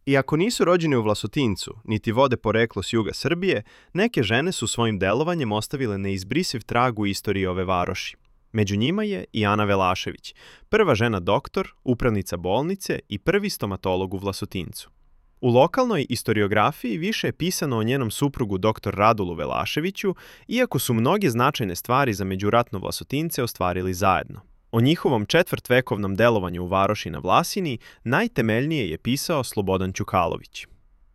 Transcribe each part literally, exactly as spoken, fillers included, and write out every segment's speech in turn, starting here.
Iako nisu rođeni u Vlasotincu, niti vode poreklo s juga Srbije, neke žene su svojim delovanjem ostavile neizbrisiv trag u istoriji ove varoši. Među njima je i Ana Velašević, prva žena doktor, upravnica bolnice i prvi stomatolog u Vlasotincu. U lokalnoj istoriografiji više je pisano o njenom suprugu dr. Radulu Velaševiću, iako su mnoge značajne stvari za međuratno Vlasotince ostvarili zajedno. O njihovom četvrtvekovnom delovanju u varoši na Vlasini najtemeljnije je pisao Slobodan Ćukalović.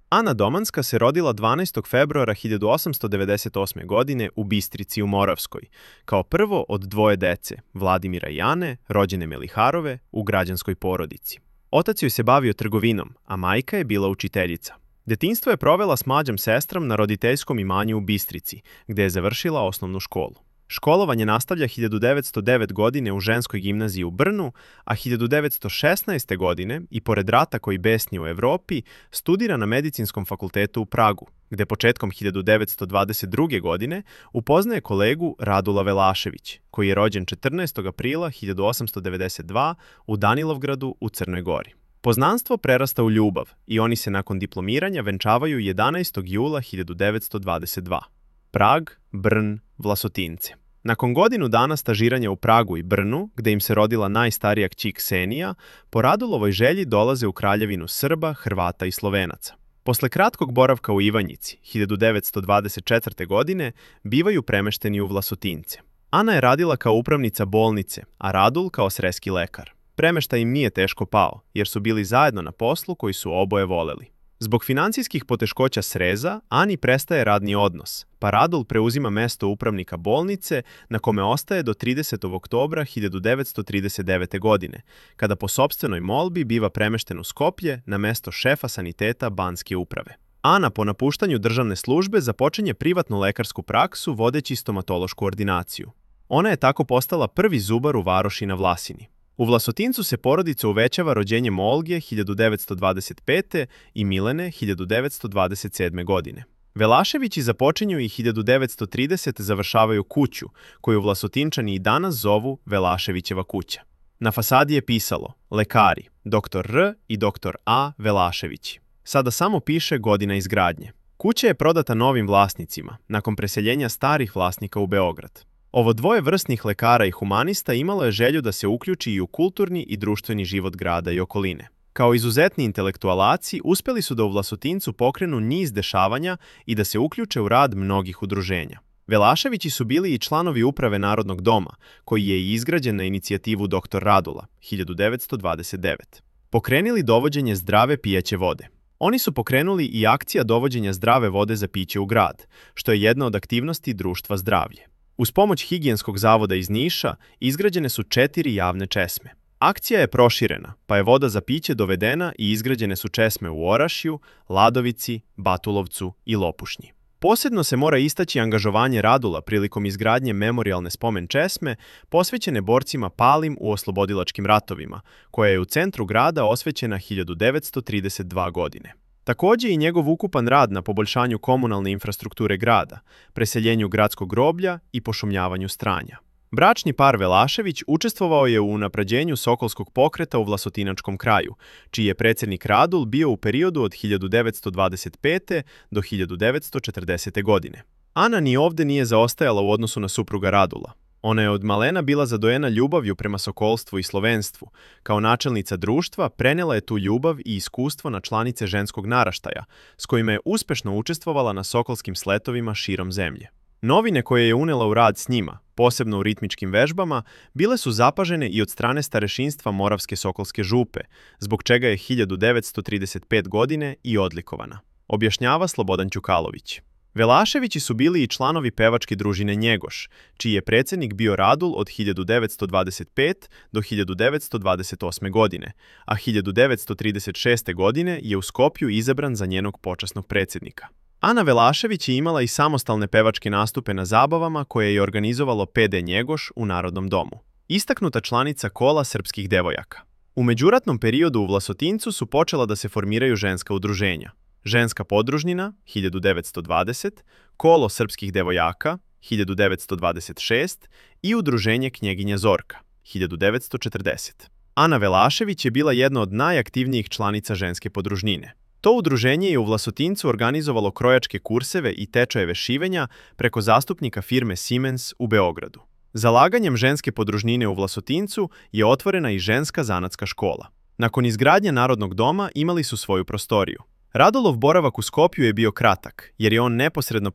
Ana Domanska se rodila dvanaestog februara hiljadu osamsto devedeset osme. godine u Bistrici u Moravskoj, kao prvo od dvoje dece, Vladimira i Ane, rođene Meliharove, u građanskoj porodici. Otac joj se bavio trgovinom, a majka je bila učiteljica. Detinjstvo je provela s mlađom sestrom na roditeljskom imanju u Bistrici, gde je završila osnovnu školu. Školovanje nastavlja hiljadu devetsto devete. godine u ženskoj gimnaziji u Brnu, a hiljadu devetsto šesnaeste. godine, i pored rata koji besni u Evropi, studira na Medicinskom fakultetu u Pragu, gde početkom hiljadu devetsto dvadeset druge. godine upoznaje kolegu Radula Velašević, koji je rođen četrnaestog aprila hiljadu osamsto devedeset druge. u Danilovgradu u Crnoj Gori. Poznanstvo prerasta u ljubav i oni se nakon diplomiranja venčavaju jedanaestog jula hiljadu devetsto dvadeset druge. Prag, Brn, Vlasotince. Nakon godinu dana stažiranja u Pragu i Brnu, gde im se rodila najstarija kći Ksenija, po Radulovoj želji dolaze u kraljevinu Srba, Hrvata i Slovenaca. Posle kratkog boravka u Ivanjici, hiljadu devetsto dvadeset četvrte. godine, bivaju premešteni u Vlasotince. Ana je radila kao upravnica bolnice, a Radul kao sreski lekar. Premeštaj im nije teško pao, jer su bili zajedno na poslu koji su oboje voleli. Zbog financijskih poteškoća sreza, Ani prestaje radni odnos, pa Radul preuzima mesto upravnika bolnice, na kome ostaje do tridesetog oktobra hiljadu devetsto trideset devete. godine, kada po sopstvenoj molbi biva premešten u Skoplje na mesto šefa saniteta Banske uprave. Ana po napuštanju državne službe započinje privatnu lekarsku praksu vodeći stomatološku ordinaciju. Ona je tako postala prvi zubar u varoši na Vlasini. U Vlasotincu se porodica uvećava rođenjem Olge hiljadu devetsto dvadeset pete. i Milene hiljadu devetsto dvadeset sedme. godine. Velaševići započinju i hiljadu devetsto tridesete. završavaju kuću, koju Vlasotinčani i danas zovu Velaševićeva kuća. Na fasadi je pisalo lekari, doktor R i doktor A Velaševići. Sada samo piše godina izgradnje. Kuća je prodata novim vlasnicima, nakon preseljenja starih vlasnika u Beograd. Ovo dvoje vrsnih lekara i humanista imalo je želju da se uključi i u kulturni i društveni život grada i okoline. Kao izuzetni intelektualaci, uspeli su da u Vlasotincu pokrenu niz dešavanja i da se uključe u rad mnogih udruženja. Velaševići su bili i članovi uprave Narodnog doma, koji je i izgrađen na inicijativu doktor Radula, hiljadu devetsto dvadeset devete. Pokrenili dovođenje zdrave pijaće vode. Oni su pokrenuli i akcija dovođenja zdrave vode za piće u grad, što je jedna od aktivnosti društva Zdravlje. Uz pomoć Higijenskog zavoda iz Niša izgrađene su četiri javne česme. Akcija je proširena, pa je voda za piće dovedena i izgrađene su česme u Orašju, Ladovici, Batulovcu i Lopušnji. Posebno se mora istaći angažovanje Radula prilikom izgradnje memorijalne spomen česme posvećene borcima palim u oslobodilačkim ratovima, koja je u centru grada osvećena hiljadu devetsto trideset druge. godine. Takođe i njegov ukupan rad na poboljšanju komunalne infrastrukture grada, preseljenju gradskog groblja i pošumljavanju Stranja. Bračni par Velašević učestvovao je u unapređenju Sokolskog pokreta u Vlasotinačkom kraju, čiji je predsjednik Radul bio u periodu od hiljadu devetsto dvadeset pete. do hiljadu devetsto četrdesete. godine. Ana ni ovde nije zaostajala u odnosu na supruga Radula. Ona je od malena bila zadojena ljubavlju prema sokolstvu i slovenstvu. Kao načelnica društva prenela je tu ljubav i iskustvo na članice ženskog naraštaja, s kojima je uspešno učestvovala na sokolskim sletovima širom zemlje. Novine koje je unela u rad s njima, posebno u ritmičkim vežbama, bile su zapažene i od strane starešinstva Moravske Sokolske župe, zbog čega je hiljadu devetsto trideset pete. godine i odlikovana, objašnjava Slobodan Ćukalović. Velaševići su bili i članovi pevačke družine Njegoš, čiji je predsjednik bio Radul od hiljadu devetsto dvadeset pete. do hiljadu devetsto dvadeset osme. godine, a hiljadu devetsto trideset šeste. godine je u Skopju izabran za njenog počasnog predsjednika. Ana Velašević je imala i samostalne pevačke nastupe na zabavama koje je organizovalo P D Njegoš u Narodnom domu. Istaknuta članica kola srpskih devojaka. U međuratnom periodu u Vlasotincu su počela da se formiraju ženska udruženja. Ženska podružnina, hiljadu devetsto dvadeset, Kolo srpskih devojaka, hiljadu devetsto dvadeset šeste i Udruženje Knjeginja Zorka, hiljadu devetsto četrdesete. Ana Velašević je bila jedna od najaktivnijih članica ženske podružnine. To udruženje je u Vlasotincu organizovalo krojačke kurseve i tečajeve šivenja preko zastupnika firme Siemens u Beogradu. Zalaganjem ženske podružnine u Vlasotincu je otvorena i ženska zanatska škola. Nakon izgradnje Narodnog doma imali su svoju prostoriju. Radolov boravak u Skopju je bio kratak, jer je on neposredno